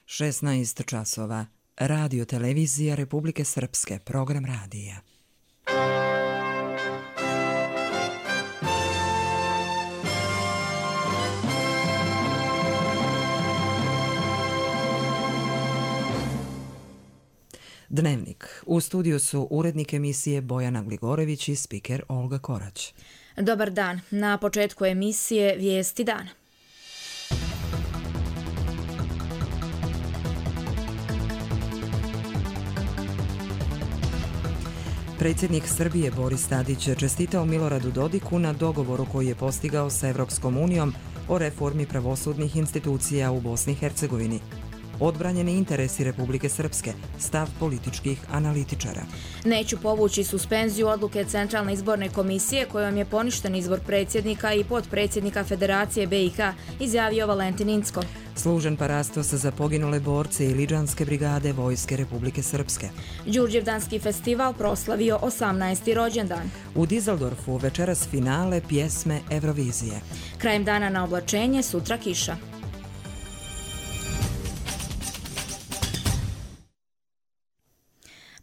16 časova. Radio televizija Republike Srpske, program radija. Dnevnik. U studiju su urednik emisije Bojana Gligorević i spiker Olga Korać. Dobar dan. Na početku emisije Vijesti dana. Predsjednik Srbije Boris Tadić je čestitao Miloradu Dodiku na dogovoru koji je postigao sa Evropskom unijom o reformi pravosudnih institucija u Bosni i Hercegovini. Odbranjeni interesi Republike Srpske, stav političkih analitičara. Neću povući suspenziju odluke Centralne izborne komisije kojom je poništen izbor predsjednika i potpredsjednika Federacije BiH, izjavio Valentin Incko. Služen parastos za poginule borce i Lidžanske brigade Vojske Republike Srpske. Đurđevdanski festival proslavio 18. rođendan. U Dizeldorfu večeras finale pjesme Eurovizije. Krajem dana na oblačenje, sutra kiša.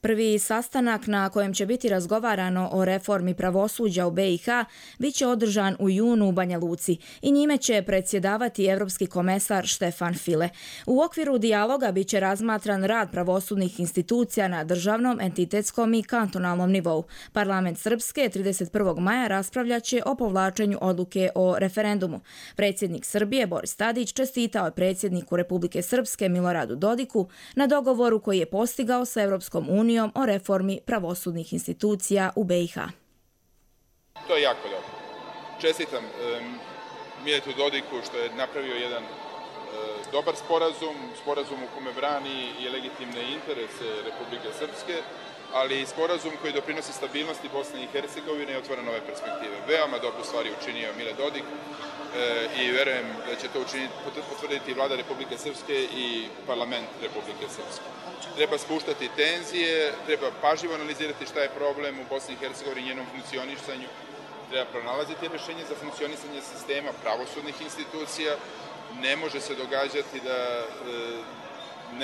Prvi sastanak na kojem će biti razgovarano o reformi pravosuđa u BiH biće održan u junu u Banja Luci i njime će predsjedavati evropski komesar Štefan File. U okviru dijaloga biće razmatran rad pravosudnih institucija na državnom, entitetskom i kantonalnom nivou. Parlament Srpske 31. maja raspravljaće o povlačenju odluke o referendumu. Predsjednik Srbije Boris Tadić čestitao je predsjedniku Republike Srpske Miloradu Dodiku na dogovoru koji je postigao sa Evropskom unijom o reformi pravosudnih institucija u BiH. To je jako dobro. Čestitam Miletu Dodiku što je napravio jedan dobar sporazum u kome brani i legitimne interese Republike Srpske, ali i sporazum koji doprinosi stabilnosti Bosne i Hercegovine i otvara nove perspektive. Veoma dobru stvari učinio Mile Dodik i verujem da će to potvrditi vlada Republike Srpske i parlament Republike Srpske. Treba spuštati tenzije, treba pažljivo analizirati šta je problem u Bosni i Hercegovini i njenom funkcionisanju, treba pronalaziti rješenje za funkcionisanje sistema pravosudnih institucija. Ne može se događati da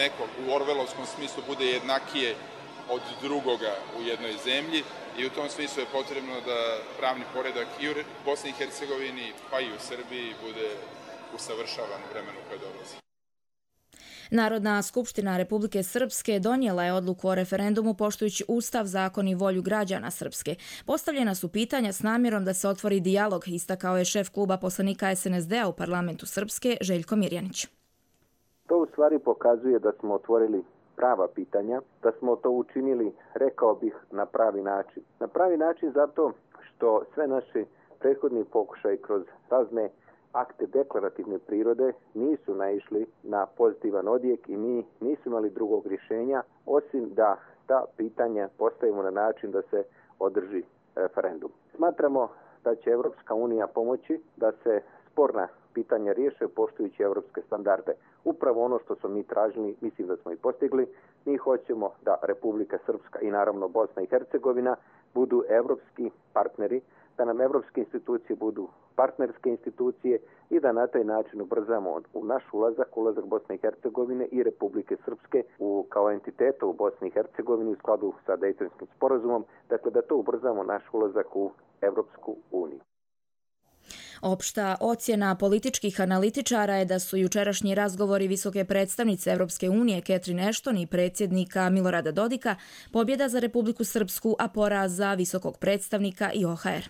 neko u orvelovskom smislu bude jednakije od drugoga u jednoj zemlji i u tom smislu je potrebno da pravni poredak i u Bosni i Hercegovini pa i u Srbiji bude usavršavan u vremenu koje dolazi. Narodna skupština Republike Srpske donijela je odluku o referendumu poštujući Ustav, zakon i volju građana Srpske. Postavljena su pitanja s namjerom da se otvori dijalog, istakao je šef kluba poslanika SNSD-a u parlamentu Srpske Željko Mirjanić. To u stvari pokazuje da smo otvorili prava pitanja, da smo to učinili, rekao bih, na pravi način. Na pravi način zato što sve naše prethodni pokušaj kroz razne akte deklarativne prirode nisu naišli na pozitivan odjek i mi nismo imali drugog rješenja osim da ta pitanja postavimo na način da se održi referendum. Smatramo da će Evropska unija pomoći da se sporna pitanja riješe poštujući evropske standarde. Upravo ono što smo mi tražili, mislim da smo i postigli. Mi hoćemo da Republika Srpska i naravno Bosna i Hercegovina budu evropski partneri, da nam evropske institucije budu partnerske institucije i da na taj način ubrzamo u naš ulazak Bosne i Hercegovine i Republike Srpske kao entiteta u Bosni i Hercegovini u skladu sa Dejtonskim sporazumom, dakle da to ubrzamo naš ulazak u Evropsku uniju. Opšta ocjena političkih analitičara je da su jučerašnji razgovori visoke predstavnice Evropske unije Catherine Ashton i predsjednika Milorada Dodika pobjeda za Republiku Srpsku, a poraz za visokog predstavnika i OHR.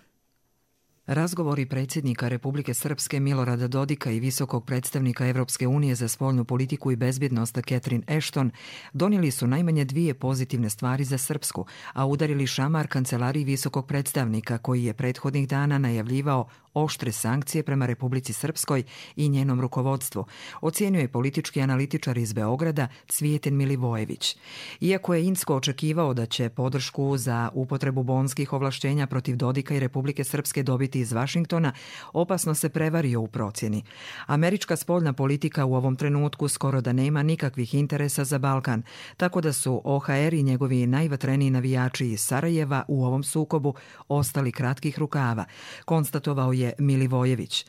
Razgovori predsjednika Republike Srpske Milorada Dodika i visokog predstavnika Evropske unije za spoljnu politiku i bezbjednost Catherine Ashton donijeli su najmanje dvije pozitivne stvari za Srpsku, a udarili šamar kancelariji visokog predstavnika koji je prethodnih dana najavljivao oštre sankcije prema Republici Srpskoj i njenom rukovodstvu, ocijenjuje politički analitičar iz Beograda Cvijetin Milivojević. Iako je Incko očekivao da će podršku za upotrebu bonskih ovlaštenja protiv Dodika i Republike Srpske dobiti iz Vašingtona, opasno se prevario u procjeni. Američka spoljna politika u ovom trenutku skoro da nema nikakvih interesa za Balkan, tako da su OHR i njegovi najvatreniji navijači iz Sarajeva u ovom sukobu ostali kratkih rukava, konstatovao je je Milivojević.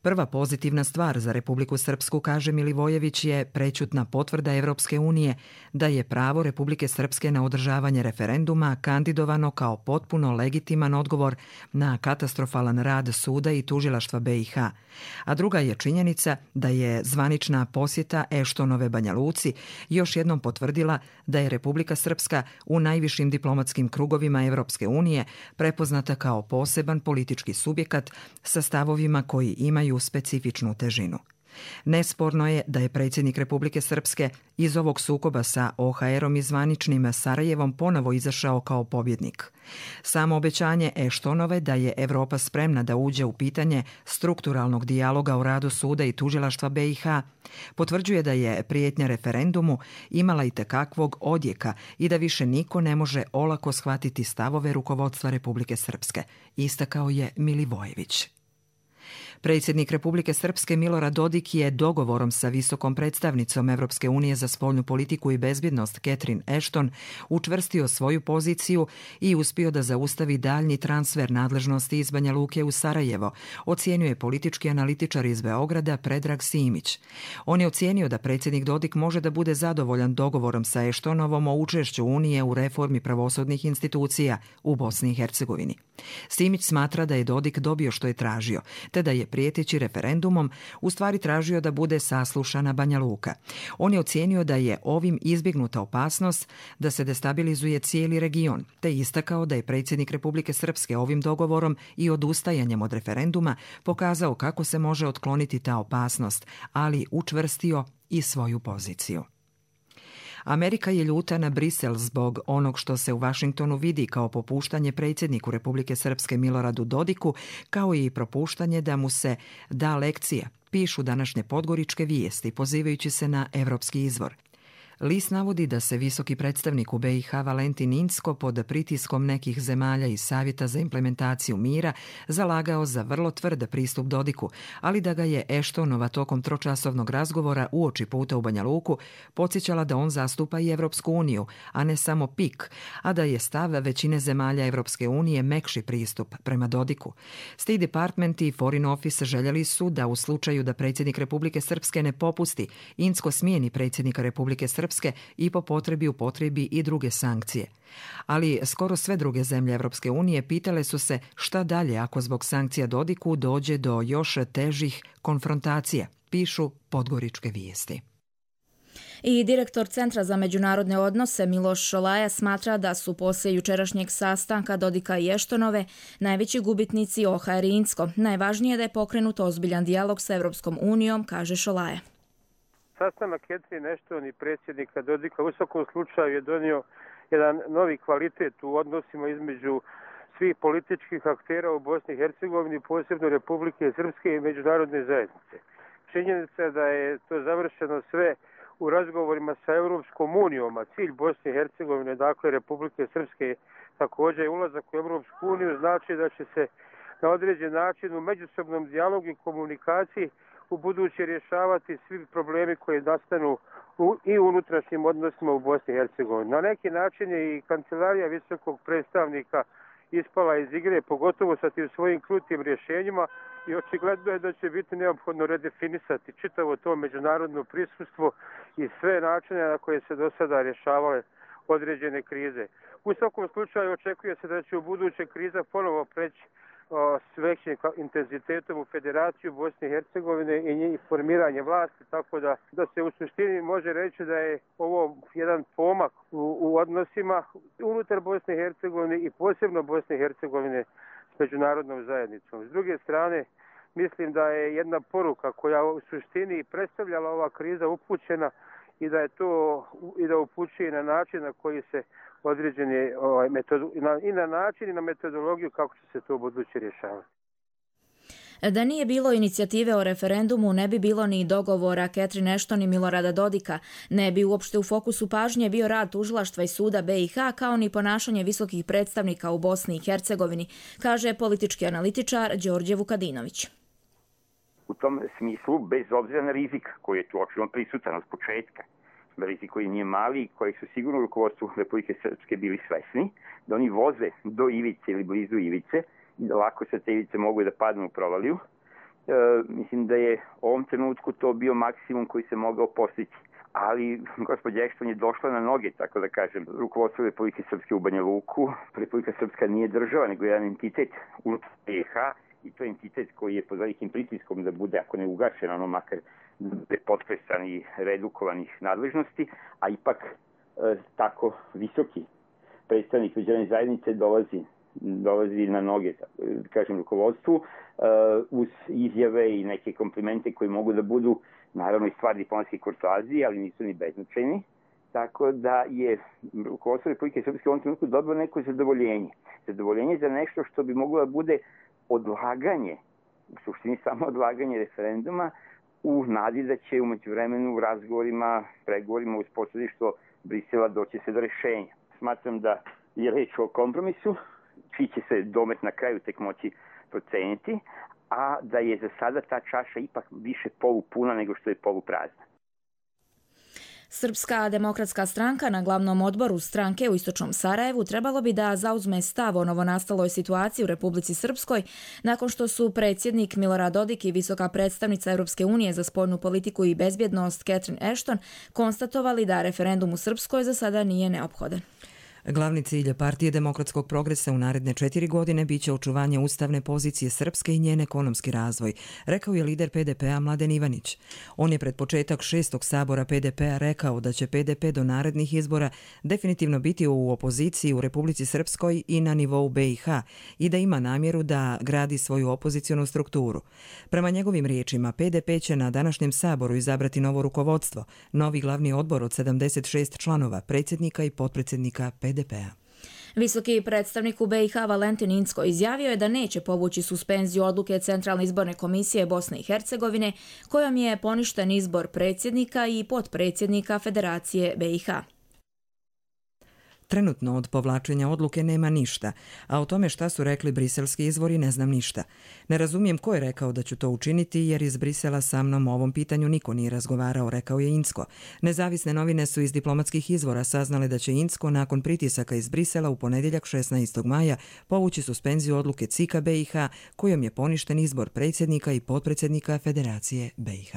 Prva pozitivna stvar za Republiku Srpsku, kaže Milivojević, je prećutna potvrda Evropske unije da je pravo Republike Srpske na održavanje referenduma kandidovano kao potpuno legitiman odgovor na katastrofalan rad suda i tužilaštva BiH. A druga je činjenica da je zvanična posjeta Eštonove Banja Luci još jednom potvrdila da je Republika Srpska u najvišim diplomatskim krugovima Evropske unije prepoznata kao poseban politički subjekat sa stavovima koji imaju specifičnu težinu. Nesporno je da je predsjednik Republike Srpske iz ovog sukoba sa OHR-om i zvaničnim Sarajevom ponovo izašao kao pobjednik. Samo obećanje Eštonove da je Evropa spremna da uđe u pitanje strukturalnog dijaloga o radu suda i tužilaštva BiH potvrđuje da je prijetnja referendumu imala itekakvog odjeka i da više niko ne može olako shvatiti stavove rukovodstva Republike Srpske, istakao je Milivojević. Predsjednik Republike Srpske Milorad Dodik je dogovorom sa visokom predstavnicom Evropske unije za spoljnu politiku i bezbjednost Catherine Ashton učvrstio svoju poziciju i uspio da zaustavi daljnji transfer nadležnosti iz Banja Luke u Sarajevo, ocijenio je politički analitičar iz Beograda Predrag Simić. On je ocijenio da predsjednik Dodik može da bude zadovoljan dogovorom sa Ashtonovom o učešću Unije u reformi pravosudnih institucija u Bosni i Hercegovini. Simić smatra da je Dodik dobio što je tražio, te da je prijeteći referendumom u stvari tražio da bude saslušana Banja Luka. On je ocijenio da je ovim izbjegnuta opasnost da se destabilizuje cijeli region, te istakao da je predsjednik Republike Srpske ovim dogovorom i odustajanjem od referenduma pokazao kako se može otkloniti ta opasnost, ali učvrstio i svoju poziciju. Amerika je ljuta na Brisel zbog onog što se u Vašingtonu vidi kao popuštanje predsjedniku Republike Srpske Miloradu Dodiku, kao i propuštanje da mu se da lekcija, pišu današnje podgoričke vijesti, pozivajući se na evropski izvor. List navodi da se visoki predstavnik u BiH Valentin Incko pod pritiskom nekih zemalja iz Savjeta za implementaciju mira zalagao za vrlo tvrd pristup Dodiku, ali da ga je Eštonova tokom tročasovnog razgovora uoči puta u Banja Luku podsjećala da on zastupa i Evropsku uniju, a ne samo PIK, a da je stav većine zemalja Evropske unije mekši pristup prema Dodiku. State Department i Foreign Office željeli su da u slučaju da predsjednik Republike Srpske ne popusti, Incko smijeni predsjednika Republike Srpske i po potrebi upotrebi i druge sankcije. Ali skoro sve druge zemlje Evropske unije pitale su se šta dalje ako zbog sankcija Dodiku dođe do još težih konfrontacija, pišu podgoričke vijesti. I direktor Centra za međunarodne odnose Miloš Šolaja smatra da su poslije jučerašnjeg sastanka Dodika i Eštonove najveći gubitnici OHR i Incko. Najvažnije je da je pokrenut ozbiljan dijalog sa Evropskom unijom, kaže Šolaja. Sastanak Catherine Ashton i predsjednika Dodika u svakom slučaju je donio jedan novi kvalitet u odnosima između svih političkih aktera u Bosni i Hercegovini, posebno Republike Srpske i međunarodne zajednice. Činjenica je da je to završeno sve u razgovorima sa Europskom unijom, a cilj Bosne i Hercegovine, dakle Republike Srpske, također je ulazak u Europsku uniju, znači da će se na određen način u međusobnom dijalogu i komunikaciji u buduće rješavati svi problemi koji nastanu i u unutrašnjim odnosima u Bosni i Hercegovini. Na neki način je i kancelarija visokog predstavnika ispala iz igre, pogotovo sa tim svojim krutim rješenjima, i očigledno je da će biti neophodno redefinisati čitavo to međunarodno prisustvo i sve načine na koje se do sada rješavale određene krize. U svakom slučaju očekuje se da će u buduće kriza ponovo preći s većim intenzitetom u Federaciju Bosne i Hercegovine i formiranje vlasti, tako da se u suštini može reći da je ovo jedan pomak u odnosima unutar Bosne i Hercegovine i posebno Bosne i Hercegovine s međunarodnom zajednicom. S druge strane, mislim da je jedna poruka koja u suštini predstavljala ova kriza upućena i da je to i da upućuje na način na koji se određene i na način i na metodologiju kako će se to u buduće rješavati. Da nije bilo inicijative o referendumu, ne bi bilo ni dogovora Catherine Ashton i Milorada Dodika, ne bi uopšte u fokusu pažnje bio rad tužilaštva i suda BiH, kao ni ponašanje visokih predstavnika u Bosni i Hercegovini, kaže politički analitičar Đorđe Vukadinović. U tom smislu, bez obzira na rizik koji je tu očigledno prisutan od početka, rizik koji nije mali i koji su sigurno u rukovodstvu Republike Srpske bili svesni, da oni voze do ivice ili blizu ivice lako satelice mogu da padnu u provaliju. Mislim da je u ovom trenutku to bio maksimum koji se mogao postići. Ali gospođa Ešton je došla na noge, tako da kažem, rukovodstvo Republike Srpske u Banja Luku. Republika Srpska nije država, nego jedan entitet unutar BiH i to je entitet koji je pod velikim pritiskom da bude, ako ne ugašen, ono makar da bude potresan i redukovan nadležnosti, a ipak tako visoki predstavnik međunarodne zajednice dolazi na noge, kažem, rukovodstvu uz izjave i neke komplimente koji mogu da budu naravno i stvar diplomatske kurtoazije, ali nisu ni beznačajni. Tako da je rukovodstvo Republike Srpske u ovom trenutku dobilo neko zadovoljenje. Zadovoljenje za nešto što bi moglo da bude odlaganje, u suštini samo odlaganje referenduma, u nadi da će umeđu vremenu u razgovorima, pregovorima uz posredništvo Brisela doći se do rešenja. Smatram da je reč o kompromisu, čiji će se domet na kraju tek moći proceniti, a da je za sada ta čaša ipak više polupuna nego što je poluprazna. Srpska demokratska stranka na glavnom odboru stranke u Istočnom Sarajevu trebalo bi da zauzme stav o novonastaloj situaciji u Republici Srpskoj nakon što su predsjednik Milorad Dodik i visoka predstavnica Europske unije za spoljnu politiku i bezbjednost Catherine Ashton konstatovali da referendum u Srpskoj za sada nije neophodan. Glavni cilj Partije demokratskog progresa u naredne 4 godine biće očuvanje ustavne pozicije Srpske i njen ekonomski razvoj, rekao je lider PDP-a Mladen Ivanić. On je pred početak 6. sabora PDP-a rekao da će PDP do narednih izbora definitivno biti u opoziciji u Republici Srpskoj i na nivou BiH i da ima namjeru da gradi svoju opozicionu strukturu. Prema njegovim riječima, PDP će na današnjem saboru izabrati novo rukovodstvo, novi glavni odbor od 76 članova, predsjednika i potpredsjednika PDP-a. Visoki predstavnik u BiH Valentin Incko izjavio je da neće povući suspenziju odluke Centralne izborne komisije Bosne i Hercegovine kojom je poništen izbor predsjednika i potpredsjednika Federacije BiH. Trenutno od povlačenja odluke nema ništa, a o tome šta su rekli briselski izvori ne znam ništa. Ne razumijem ko je rekao da ću to učiniti jer iz Brisela sa mnom o ovom pitanju niko nije razgovarao, rekao je Incko. Nezavisne novine su iz diplomatskih izvora saznale da će Incko nakon pritisaka iz Brisela u ponedjeljak 16. maja povući suspenziju odluke CIK-a BiH kojom je poništen izbor predsjednika i potpredsjednika Federacije BiH.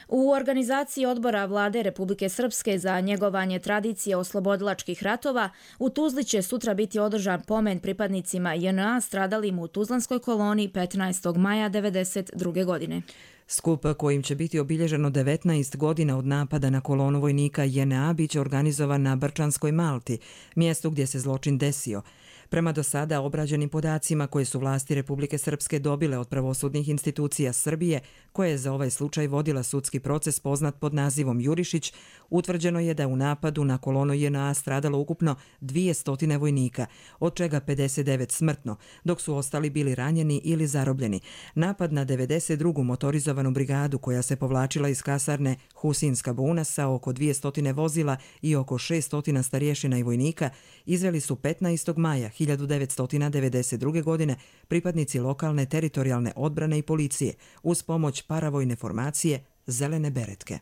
U organizaciji odbora Vlade Republike Srpske za njegovanje tradicije oslobodilačkih ratova u Tuzli će sutra biti održan pomen pripadnicima JNA stradalim u Tuzlanskoj koloni 15. maja 1992. godine. Skup kojim će biti obilježeno 19 godina od napada na kolonu vojnika JNA biće organizovan na Brčanskoj Malti, mjestu gdje se zločin desio. Prema do sada obrađenim podacima koje su vlasti Republike Srpske dobile od pravosudnih institucija Srbije, koje je za ovaj slučaj vodila sudski proces poznat pod nazivom Jurišić, utvrđeno je da u napadu na kolonu JNA stradalo ukupno 200 vojnika, od čega 59 smrtno, dok su ostali bili ranjeni ili zarobljeni. Napad na 92. motorizovanu brigadu koja se povlačila iz kasarne Husinska Buna sa oko 200 vozila i oko 600 starješina i vojnika izveli su 15. maja 1992. godine pripadnici lokalne teritorijalne odbrane i policije uz pomoć paravojne formacije Zelene beretke.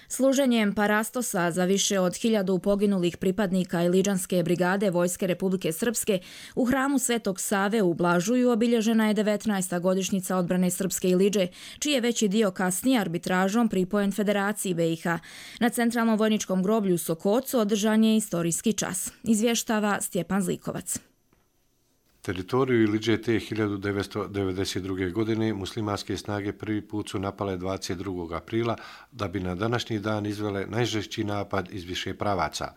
Služenjem parastosa za više od 1000 poginulih pripadnika Iliđanske brigade Vojske Republike Srpske u hramu Svetog Save u Blažuju obilježena je 19. godišnjica odbrane Srpske Iliđe, čiji je veći dio kasnije arbitražom pripojen Federaciji BiH. Na Centralnom vojničkom groblju u Sokocu održan je istorijski čas. Izvještava Stjepan Zlikovac. Teritoriju Iliđe te 1992. godine muslimanske snage prvi put su napale 22. aprila da bi na današnji dan izvele najžešći napad iz više pravaca.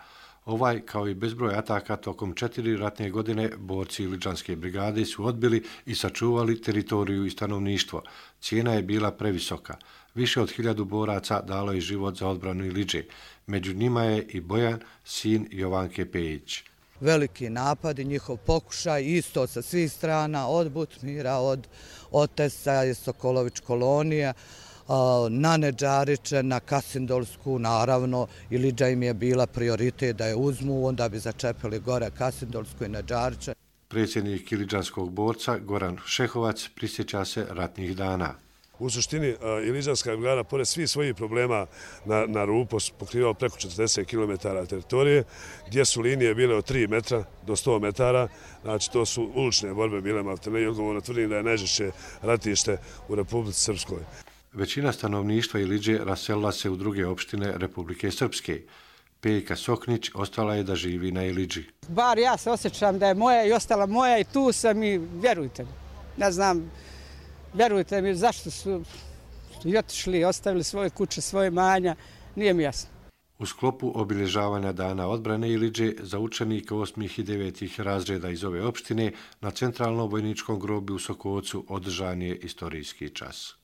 Ovaj, kao i bezbroj ataka tokom 4 ratne godine, borci Iliđanske brigade su odbili i sačuvali teritoriju i stanovništvo. Cijena je bila previsoka. Više od 1000 boraca dalo je život za odbranu Iliđe. Među njima je i Bojan, sin Jovanke Pejić. Veliki napad i njihov pokušaj isto sa svih strana, od Butmira, od Otesa i Sokolović kolonije, na Nedžariće, na Kasindolsku, naravno, Iliđa im je bila prioritet da je uzmu, onda bi začepili gore Kasindolsku i Nedžariće. Predsjednik iliđanskog borca Goran Šehovac prisjeća se ratnih dana. U suštini Iliđanska brigada, pored svih svojih problema na rubu, pokrivao preko 40 km teritorije, gdje su linije bile od 3 metra do 100 metara. Znači, to su ulične borbe bile maltene i odgovorno tvrdim da je najžešće ratište u Republici Srpskoj. Većina stanovništva Iliđe raselila se u druge opštine Republike Srpske. Pejka Soknić ostala je da živi na Iliđi. Bar ja se osjećam da je moja i ostala moja i tu sam i vjerujte mi. Ne znam, vjerujte mi zašto su i otišli, ostavili svoje kuće, svoje manja, nije mi jasno. U sklopu obilježavanja Dana odbrane Iliđe za učenike 8. i 9. razreda iz ove opštine na Centralnom vojničkom groblju u Sokocu održan je istorijski čas.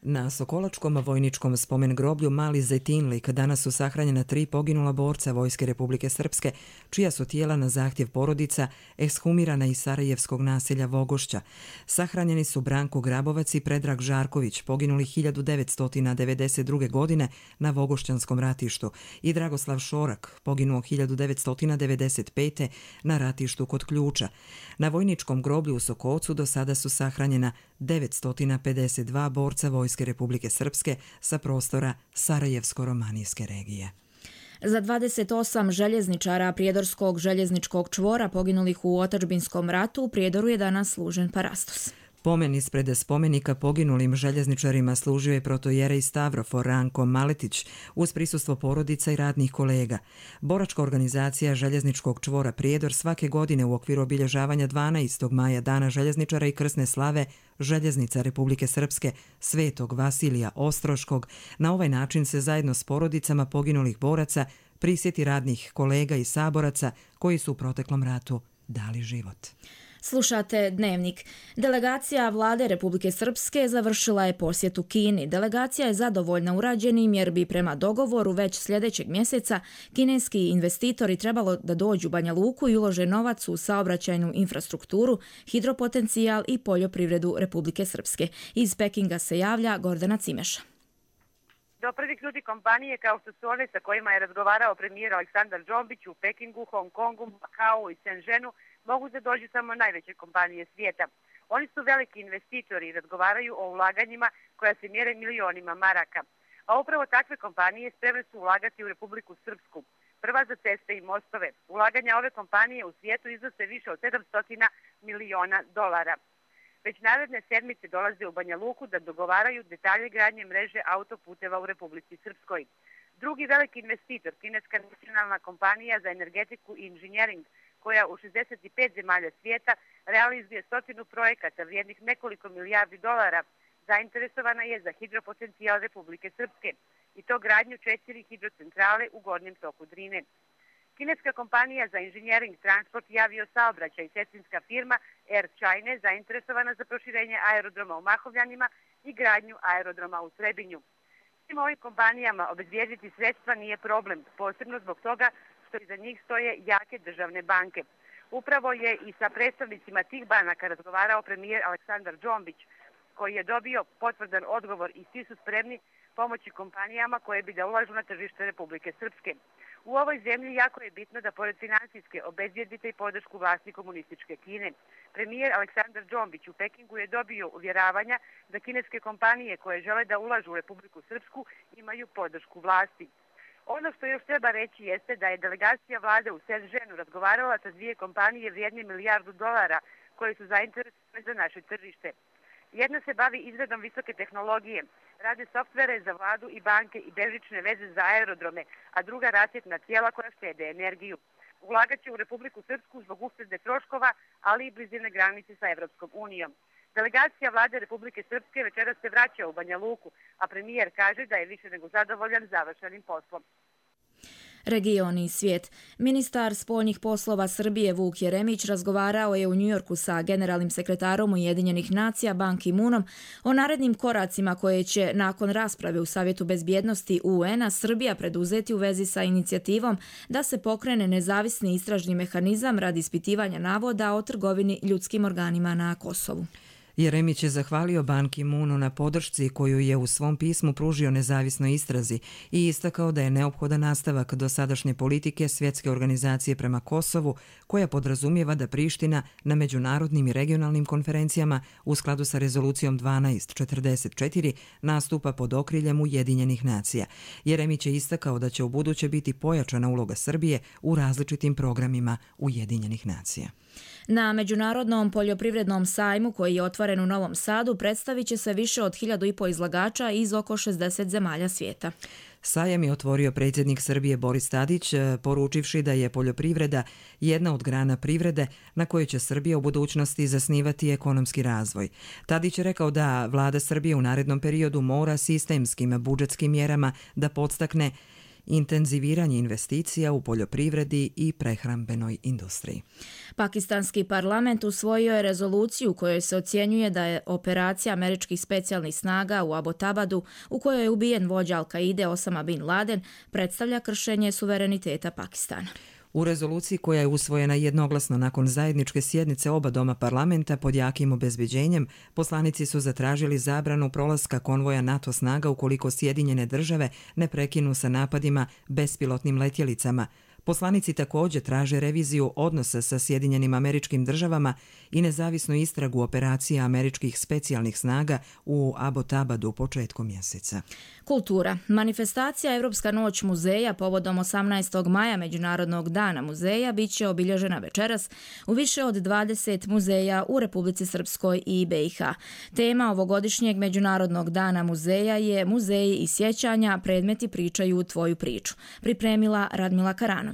Na Sokolačkom vojničkom spomen groblju Mali Zetinlik danas su sahranjena 3 poginula borca Vojske Republike Srpske, čija su tijela na zahtjev porodica ekshumirana iz sarajevskog naselja Vogošća. Sahranjeni su Branko Grabovac i Predrag Žarković, poginuli 1992. godine na Vogošćanskom ratištu, i Dragoslav Šorak, poginuo 1995. na ratištu kod Ključa. Na vojničkom groblju u Sokocu do sada su sahranjena 952 borca Vojske Republike Srpske sa prostora Sarajevsko-romanijske regije. Za 28 željezničara Prijedorskog željezničkog čvora poginulih u otadžbinskom ratu u Prijedoru je danas služen parastos. Pomen ispred spomenika poginulim željezničarima služio je protojerej Stavrofor Ranko Maletić uz prisustvo porodica i radnih kolega. Boračka organizacija željezničkog čvora Prijedor svake godine u okviru obilježavanja 12. maja Dana željezničara i krsne slave Željeznica Republike Srpske Svetog Vasilija Ostroškog na ovaj način se zajedno s porodicama poginulih boraca prisjeti radnih kolega i saboraca koji su u proteklom ratu dali život. Slušate Dnevnik. Delegacija vlade Republike Srpske završila je posjetu Kini. Delegacija je zadovoljna urađenim jer bi prema dogovoru već sljedećeg mjeseca kineski investitori trebalo da dođu u Banja Luku i ulože novac u saobraćajnu infrastrukturu, hidropotencijal i poljoprivredu Republike Srpske. Iz Pekinga se javlja Gordana Cimeša. Do prvih ljudi kompanije kao što su one sa kojima je razgovarao premijer Aleksandar Džombić u Pekingu, Hong Kongu, Makao i Shenzhenu mogu da dođu samo najveće kompanije svijeta. Oni su veliki investitori i razgovaraju o ulaganjima koja se mjere milionima maraka. A upravo takve kompanije spremne su ulagati u Republiku Srpsku. Prva za ceste i mostove. Ulaganja ove kompanije u svijetu iznose više od 700 miliona dolara. Već naredne sedmice dolaze u Banja Luku da dogovaraju detalje gradnje mreže autoputeva u Republici Srpskoj. Drugi veliki investitor, kineska nacionalna kompanija za energetiku i inženjering, koja u 65 zemalja svijeta realizuje 100 projekata vrijednih nekoliko milijardi dolara, zainteresovana je za hidropotencijal Republike Srpske i to gradnju 4 hidrocentrale u gornjem toku Drine. Kineska kompanija za inženjering, transport i aviosaobraćaj i sestrinska firma Air China zainteresovana za proširenje aerodroma u Mahovljanima i gradnju aerodroma u Trebinju. Svim ovim kompanijama obezbijediti sredstva nije problem, posebno zbog toga što iza njih stoje jake državne banke. Upravo je i sa predstavnicima tih banaka razgovarao premijer Aleksandar Džombić, koji je dobio potvrdan odgovor i svi su spremni pomoći kompanijama koje bi da ulažu na tržište Republike Srpske. U ovoj zemlji jako je bitno da pored financijske obezbijedite i podršku vlasti komunističke Kine. Premijer Aleksandar Džombić u Pekingu je dobio uvjeravanja da kineske kompanije koje žele da ulažu u Republiku Srpsku imaju podršku vlasti. Ono što još treba reći jeste da je delegacija vlade u Shenzhenu razgovarala sa 2 kompanije vrijedne $1 milijardu koje su zainteresovane za naše tržište. Jedna se bavi izradom visoke tehnologije, rade softvere za vladu i banke i bežične veze za aerodrome, a druga rasvjetna tijela koja štede energiju. Ulagat će u Republiku Srpsku zbog uštede troškova, ali i blizine granice sa Evropskom unijom. Delegacija vlade Republike Srpske večeras se vraća u Banja Luku, a premijer kaže da je više nego zadovoljan završenim poslom. Regioni i svijet. Ministar spoljnih poslova Srbije Vuk Jeremić razgovarao je u Njujorku sa generalnim sekretarom Ujedinjenih nacija Ban Ki-moonom o narednim koracima koje će nakon rasprave u Savjetu bezbjednosti UN-a Srbija preduzeti u vezi sa inicijativom da se pokrene nezavisni istražni mehanizam radi ispitivanja navoda o trgovini ljudskim organima na Kosovu. Jeremić je zahvalio Ban Ki-moonu na podršci koju je u svom pismu pružio nezavisnoj istrazi i istakao da je neophodan nastavak dosadašnje politike Svjetske organizacije prema Kosovu, koja podrazumijeva da Priština na međunarodnim i regionalnim konferencijama u skladu sa rezolucijom 1244 nastupa pod okriljem Ujedinjenih nacija. Jeremić je istakao da će ubuduće biti pojačana uloga Srbije u različitim programima Ujedinjenih nacija. Na Međunarodnom poljoprivrednom sajmu koji je otvoren u Novom Sadu predstavit će se više od 1500 izlagača iz oko 60 zemalja svijeta. Sajam je otvorio predsjednik Srbije Boris Tadić, poručivši da je poljoprivreda jedna od grana privrede na kojoj će Srbija u budućnosti zasnivati ekonomski razvoj. Tadić je rekao da vlada Srbije u narednom periodu mora sistemskim budžetskim mjerama da podstakne intenziviranje investicija u poljoprivredi i prehrambenoj industriji. Pakistanski parlament usvojio je rezoluciju u kojoj se ocjenjuje da je operacija američkih specijalnih snaga u Abbottabadu, u kojoj je ubijen vođa Al-Kaide Osama bin Laden, predstavlja kršenje suvereniteta Pakistana. U rezoluciji koja je usvojena jednoglasno nakon zajedničke sjednice oba doma parlamenta pod jakim obezbeđenjem, poslanici su zatražili zabranu prolaska konvoja NATO snaga ukoliko Sjedinjene države ne prekinu sa napadima bespilotnim letjelicama. Poslanici također traže reviziju odnosa sa Sjedinjenim Američkim Državama i nezavisnu istragu operacija američkih specijalnih snaga u Abbottabadu početkom mjeseca. Kultura. Manifestacija Evropska noć muzeja povodom 18. maja Međunarodnog dana muzeja bit će obilježena večeras u više od 20 muzeja u Republici Srpskoj i BiH. Tema ovogodišnjeg Međunarodnog dana muzeja je Muzeji i sjećanja, predmeti pričaju tvoju priču. Pripremila Radmila Karanović.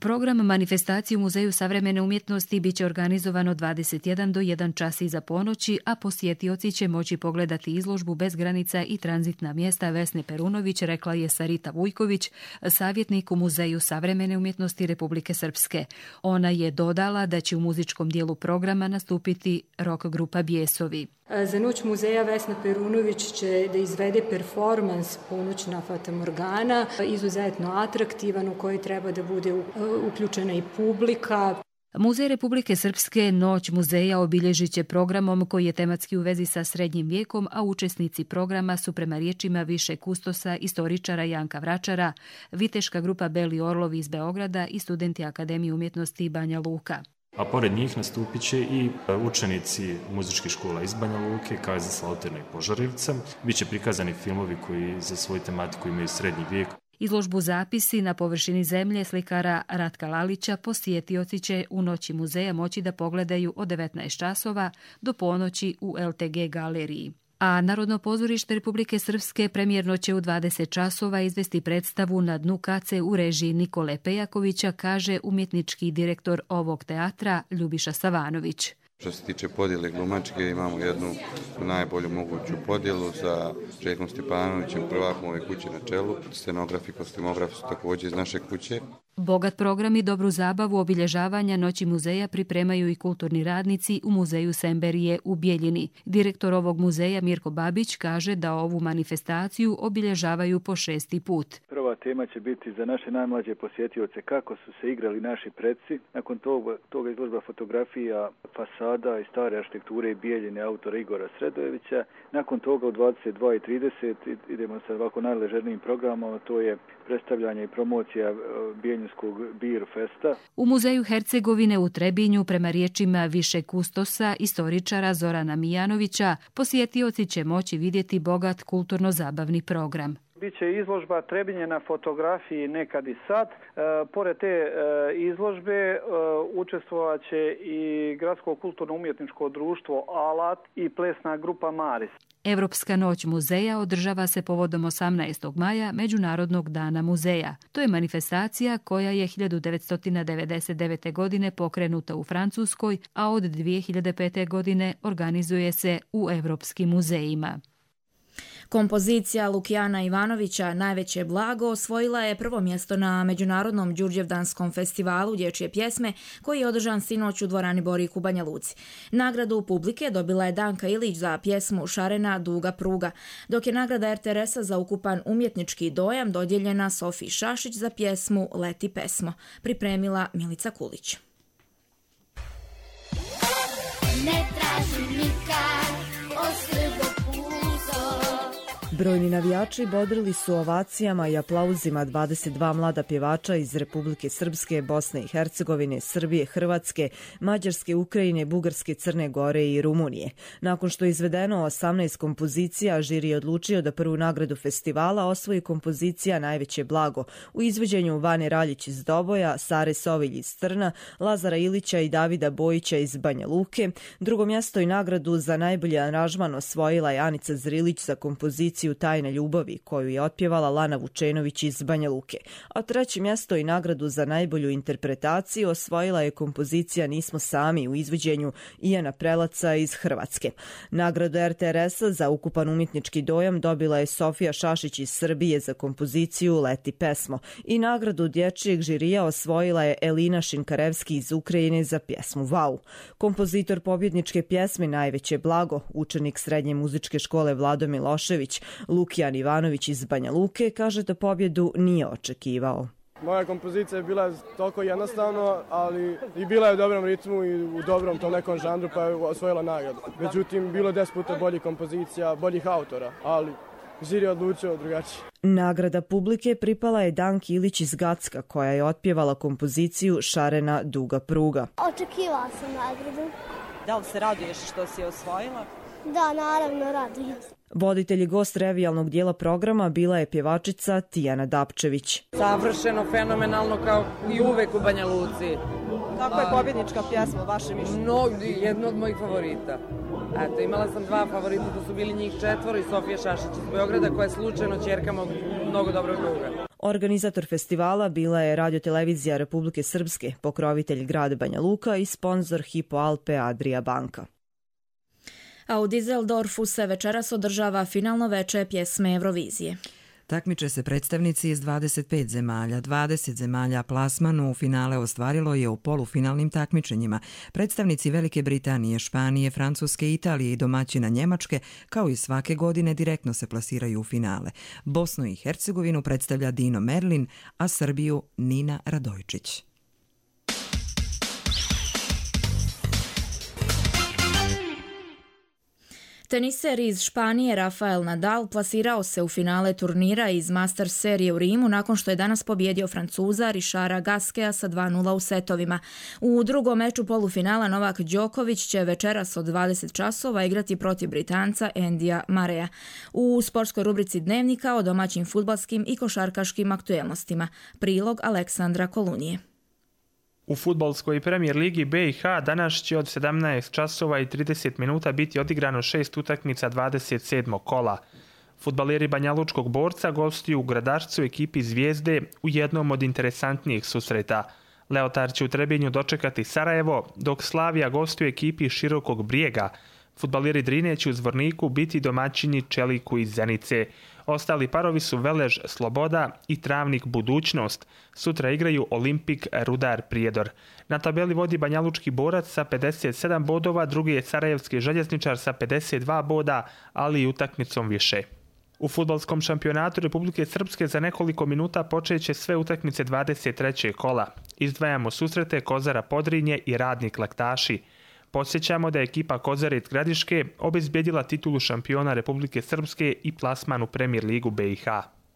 Program manifestacije u Muzeju savremene umjetnosti biće organizovano 21 do 1 čas iza ponoći, a posjetioci će moći pogledati izložbu Bez granica i tranzitna mjesta Vesne Perunović, rekla je Sarita Vujković, savjetnik u Muzeju savremene umjetnosti Republike Srpske. Ona je dodala da će u muzičkom dijelu programa nastupiti rock grupa Bijesovi. Za noć muzeja Vesna Perunović će da izvede performans Ponoćna fatamorgana, izuzetno atraktivan u koji treba da bude uključena i publika. Muzej Republike Srpske Noć muzeja obilježit će programom koji je tematski u vezi sa srednjim vijekom, a učesnici programa su prema riječima više kustosa, istoričara Janka Vračara, viteška grupa Beli Orlovi iz Beograda i studenti Akademije umjetnosti Banja Luka. A pored njih nastupit će i učenici muzičkih škola iz Banja Luke, kao i za Slauterno i Požarevca. Biće prikazani filmovi koji za svoju tematiku imaju srednji vijek. Izložbu Zapisi na površini zemlje slikara Ratka Lalića posjetioci će u noći muzeja moći da pogledaju od 19 časova do ponoći u LTG galeriji. A Narodno pozorište Republike Srpske premijerno će u 20 časova izvesti predstavu Na dnu kace u režiji Nikole Pejakovića, kaže umjetnički direktor ovog teatra Ljubiša Savanović. Što se tiče podjele glumačke, imamo jednu najbolju moguću podjelu sa Željkom Stjepanovićem, prvakom ove kuće na čelu. Scenograf i kostimograf su također iz naše kuće. Bogat program i dobru zabavu obilježavanja Noći muzeja pripremaju i kulturni radnici u Muzeju Semberije u Bijeljini. Direktor ovog muzeja Mirko Babić kaže da ovu manifestaciju obilježavaju po 6. put. Prva tema će biti za naše najmlađe posjetioce kako su se igrali naši preci. Nakon toga izložba fotografija fasada i stare arhitekture Bijeljine autora Igora Sredojevića. Nakon toga u 22:30 idemo sa ovako najležernijim programom, to je predstavljanje i promocija Bijeljinskog Bir festa. U Muzeju Hercegovine u Trebinju, prema riječima više kustosa, istoričara Zorana Mijanovića, posjetioci će moći vidjeti bogat kulturno-zabavni program. Biće izložba Trebinje na fotografiji Nekad i sad. Pored te izložbe učestvovat će i Gradsko kulturno-umjetničko društvo Alat i plesna grupa Maris. Evropska noć muzeja održava se povodom 18. maja Međunarodnog dana muzeja. To je manifestacija koja je 1999. godine pokrenuta u Francuskoj, a od 2005. godine organizuje se u evropskim muzejima. Kompozicija Lukijana Ivanovića Najveće blago osvojila je prvo mjesto na Međunarodnom Đurđevdanskom festivalu dječje pjesme koji je održan sinoć u dvorani Borik u Banja Luci. Nagradu publike dobila je Danka Ilić za pjesmu Šarena duga pruga, dok je nagrada RTRS-a za ukupan umjetnički dojam dodijeljena Sofiji Šašić za pjesmu Leti pesmo, pripremila Milica Kulić. Ne traži Brojni navijači bodrili su ovacijama i aplauzima 22 mlada pjevača iz Republike Srpske, Bosne i Hercegovine, Srbije, Hrvatske, Mađarske, Ukrajine, Bugarske, Crne Gore i Rumunije. Nakon što je izvedeno 18 kompozicija, žiri je odlučio da prvu nagradu festivala osvoji kompozicija Najveće blago u izvođenju Vane Raljić iz Doboja, Sare Sovilj iz Trna, Lazara Ilića i Davida Bojića iz Banja Luke. Drugo mjesto i nagradu za najbolji aranžman osvojila je Anica Zrilić za kompoziciju Tajne ljubavi, koju je otpjevala Lana Vučenović iz Banja Luke. A treće mjesto i nagradu za najbolju interpretaciju osvojila je kompozicija Nismo sami u izvođenju Ijana Prelaca iz Hrvatske. Nagradu RTRS-a za ukupan umjetnički dojam dobila je Sofija Šašić iz Srbije za kompoziciju Leti pesmo i nagradu dječjeg žirija osvojila je Elina Šinkarevski iz Ukrajine za pjesmu Vau. Kompozitor pobjedničke pjesme Najveće blago, učenik srednje muzičke škole Vlado Milošević, Lukijan Ivanović iz Banja Luke, kaže da pobjedu nije očekivao. Moja kompozicija je bila toliko jednostavno, ali i bila je u dobrom ritmu i u dobrom tom nekom žanru, pa je osvojila nagradu. Međutim, bilo 10 puta boljih kompozicija, boljih autora, ali žiri je odlučio drugačije. Nagrada publike pripala je Danki Ilić iz Gacka, koja je otpjevala kompoziciju Šarena duga pruga. Očekivala sam nagradu. Da li se raduješ što si je osvojila? Da, naravno, radujem. Voditelj i gost revijalnog dijela programa bila je pjevačica Tijana Dapčević. Savršeno, fenomenalno, kao i uvek u Banja Luci. Kako je pobjednička pjesma, vaše mišljenje? Jedno od mojih favorita. Eto, imala sam dva favorita, to su bili njih 4 i Sofija Šašić iz Beograda, koja je slučajno ćerka mog mnogo dobrog druga. Organizator festivala bila je Radiotelevizija Republike Srpske, pokrovitelj grad Banja Luka i sponzor Hypo Alpe Adria banka. A u Düsseldorfu se večeras održava finalno veče pjesme Eurovizije. Takmiče se predstavnici iz 25 zemalja. 20 zemalja plasmanu u finale ostvarilo je u polufinalnim takmičenjima. Predstavnici Velike Britanije, Španije, Francuske, Italije i domaćina Njemačke, kao i svake godine, direktno se plasiraju u finale. Bosnu i Hercegovinu predstavlja Dino Merlin, a Srbiju Nina Radojčić. Teniser iz Španije Rafael Nadal plasirao se u finale turnira iz Masters serije u Rimu nakon što je danas pobjedio Francuza Richarda Gasqueta sa 2:0 u setovima. U drugom meču polufinala Novak Đoković će večeras od 20 časova igrati protiv Britanca Andyja Murraya. U sportskoj rubrici Dnevnika o domaćim fudbalskim i košarkaškim aktuelnostima. Prilog Aleksandra Kolunije. U fudbalskoj premijer ligi BiH danas će od 17 časova i 30 minuta biti odigrano 6 utakmica 27. kola. Fudbaleri Banjalučkog Borca gostuju u Gradašcu ekipi Zvijezde u jednom od interesantnijih susreta. Leotar će u Trebinju dočekati Sarajevo, dok Slavija gostuje ekipi Širokog Brijega. Fudbaleri Drine će u Zvorniku biti domaćini Čeliku iz Zenice. Ostali parovi su Velež Sloboda i Travnik Budućnost. Sutra igraju Olimpik Rudar Prijedor. Na tabeli vodi Banjalučki Borac sa 57 bodova, drugi je Sarajevski Željezničar sa 52 boda, ali i utakmicom više. U fudbalskom šampionatu Republike Srpske za nekoliko minuta počeće sve utakmice 23. kola. Izdvajamo susrete Kozara Podrinje i Radnik Laktaši. Podsjećamo da je ekipa Kozarac Gradiške obezbjedila titulu šampiona Republike Srpske i plasman u Premijer ligu BiH.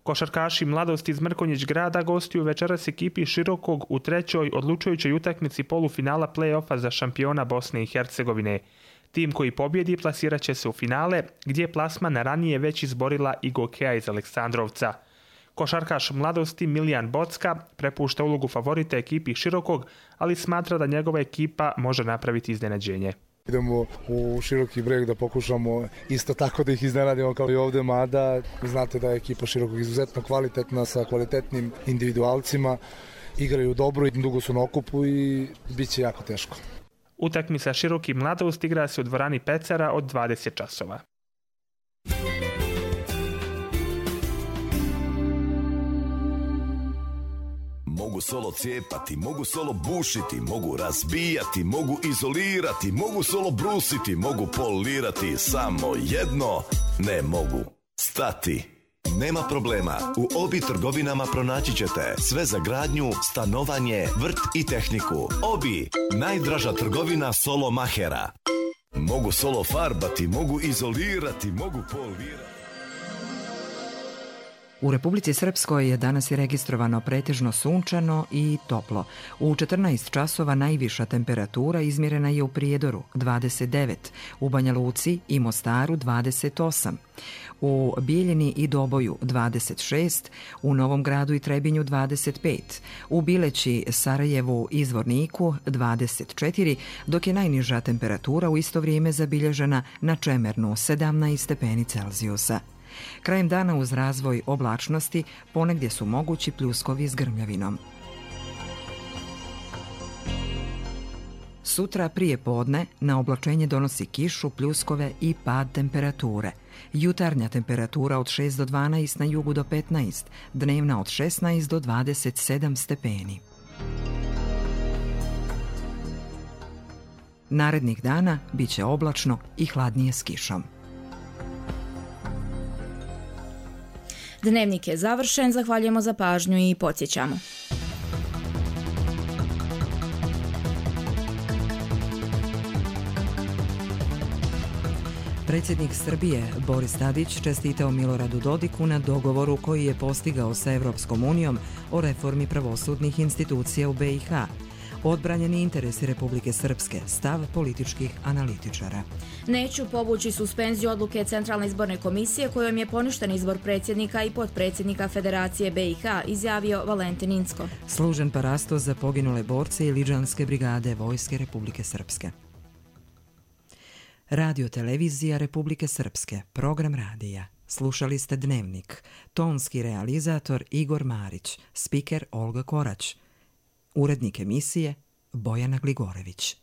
Košarkaši Mladost iz Mrkonjić grada gostuju večeras ekipi Širokog u trećoj odlučujućoj utakmici polufinala play-offa za šampiona Bosne i Hercegovine. Tim koji pobjedi plasirat će se u finale, gdje plasman ranije već izborila i Gokeja iz Aleksandrovca. Košarkaš Mladosti Milijan Bocka prepušta ulogu favorita ekipi Širokog, ali smatra da njegova ekipa može napraviti iznenađenje. Idemo u Široki Breg da pokušamo isto tako da ih iznenadimo kao i ovdje, mada znate da je ekipa Širokog izuzetno kvalitetna sa kvalitetnim individualcima, igraju dobro i dugo su na okupu i bit će jako teško. Utakmica Široki Mladost igra se u dvorani Pecara od 20 časova. Mogu solo cijepati, mogu solo bušiti, mogu razbijati, mogu izolirati, mogu solo brusiti, mogu polirati, samo jedno ne mogu. Stati. Nema problema, u Obi trgovinama pronaći ćete sve za gradnju, stanovanje, vrt i tehniku. Obi, najdraža trgovina solo mahera. Mogu solo farbati, mogu izolirati, mogu polirati. U Republici Srpskoj je danas je registrovano pretežno sunčano i toplo. U 14 časova najviša temperatura izmjerena je u Prijedoru 29, u Banja Luci i Mostaru 28, u Bijeljini i Doboju 26, u Novom Gradu i Trebinju 25, u Bileći, Sarajevu i Zvorniku 24, dok je najniža temperatura u isto vrijeme zabilježena na Čemernu 17 stepeni Celzijusa. Krajem dana uz razvoj oblačnosti ponegdje su mogući pljuskovi s grmljavinom. Sutra prije podne na oblačenje donosi kišu, pljuskove i pad temperature. Jutarnja temperatura od 6 do 12, na jugu do 15, dnevna od 16 do 27 stepeni. Narednih dana bit će oblačno i hladnije s kišom. Dnevnik je završen, zahvaljujemo za pažnju i podsjećamo. Predsjednik Srbije Boris Tadić čestitao Miloradu Dodiku na dogovoru koji je postigao sa Evropskom unijom o reformi pravosudnih institucija u BiH. Odbranjeni interesi Republike Srpske, stav političkih analitičara. Neću povući suspenziju odluke Centralne izborne komisije kojom je poništen izbor predsjednika i potpredsjednika Federacije BiH, izjavio Valentin Incko. Služen parasto za poginule borce i Liđanske brigade Vojske Republike Srpske. Radio televizija Republike Srpske, program radija. Slušali ste Dnevnik. Tonski realizator Igor Marić, spiker Olga Korać. Urednik emisije Bojana Gligorević.